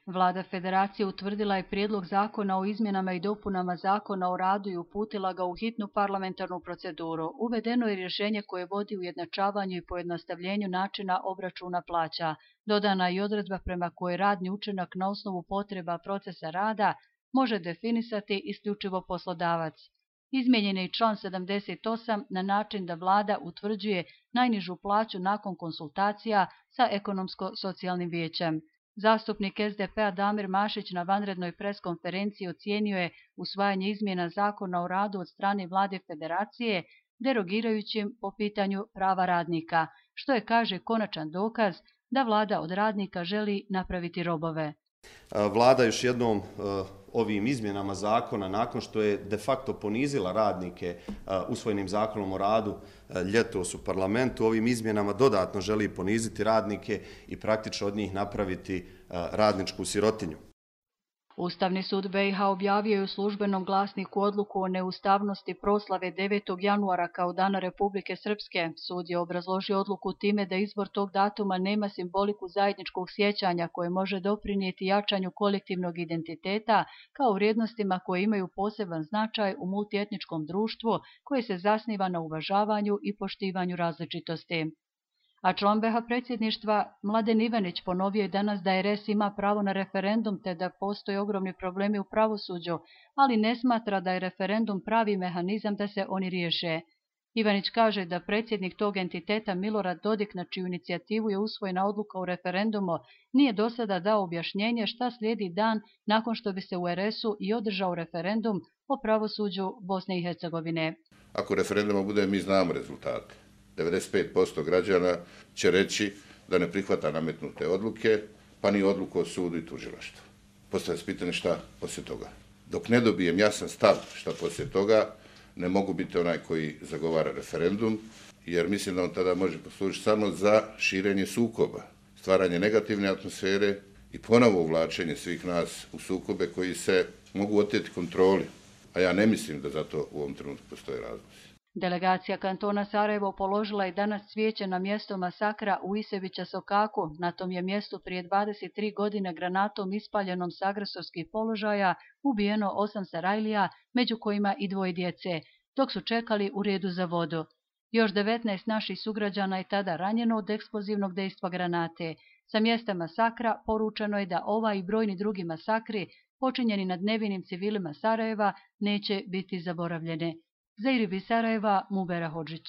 Vlada Federacije utvrdila je prijedlog zakona o izmjenama i dopunama Zakona o radu i uputila ga u hitnu parlamentarnu proceduru. Uvedeno je rješenje koje vodi ujednačavanju i pojednostavljenju načina obračuna plaća. Dodana je i odredba prema kojoj radni učinak na osnovu potreba procesa rada može definisati isključivo poslodavac. Izmijenjen je i član 78 na način da vlada utvrđuje najnižu plaću nakon konsultacija sa ekonomsko-socijalnim vijećem. Zastupnik SDP-a Damir Mašić na vanrednoj preskonferenciji ocijenio je usvajanje izmjena Zakona o radu od strane Vlade Federacije derogirajućim po pitanju prava radnika, što je, kaže, konačan dokaz da vlada od radnika želi napraviti robove. Vlada još jednom ovim izmjenama zakona, nakon što je de facto ponizila radnike usvojenim zakonom o radu ljetos u parlamentu, ovim izmjenama dodatno želi poniziti radnike i praktično od njih napraviti radničku sirotinju. Ustavni sud BiH objavio je u službenom glasniku odluku o neustavnosti proslave 9. januara kao Dana Republike Srpske. Sud je obrazložio odluku time da izbor tog datuma nema simboliku zajedničkog sjećanja koje može doprinijeti jačanju kolektivnog identiteta kao vrijednostima koje imaju poseban značaj u multietničkom društvu koje se zasniva na uvažavanju i poštivanju različitosti. A član BiH predsjedništva Mladen Ivanić ponovio je danas da RS ima pravo na referendum te da postoje ogromni problemi u pravosuđu, ali ne smatra da je referendum pravi mehanizam da se oni riješe. Ivanić kaže da predsjednik tog entiteta Milorad Dodik, na čiju inicijativu je usvojena odluka o referendumu, nije do sada dao objašnjenje šta slijedi dan nakon što bi se u RS-u i održao referendum o pravosuđu Bosne i Hercegovine. Ako referenduma bude, mi znamo rezultate. 95% građana će reći da ne prihvata nametnute odluke, pa ni odluku o sudu i tužilaštvu. Postavlja se pitanje šta poslije toga. Dok ne dobijem jasan stav šta poslije toga, ne mogu biti onaj koji zagovara referendum, jer mislim da on tada može poslužiti samo za širenje sukoba, stvaranje negativne atmosfere i ponovo uvlačenje svih nas u sukobe koji se mogu oteti kontroli. A ja ne mislim da za to u ovom trenutku postoje razlozi. Delegacija kantona Sarajevo položila je danas cvijeće na mjesto masakra u Isevića Sokaku. Na tom je mjestu prije 23 godine granatom ispaljenom s agresorskih položaja ubijeno 8 Sarajlija, među kojima i 2 djece, dok su čekali u redu za vodu. Još 19 naših sugrađana je tada ranjeno od eksplozivnog dejstva granate. Sa mjesta masakra poručeno je da ova i brojni drugi masakri počinjeni nad nevinim civilima Sarajeva neće biti zaboravljene. Za IRIB iz Sarajeva, Mubera Hodžić.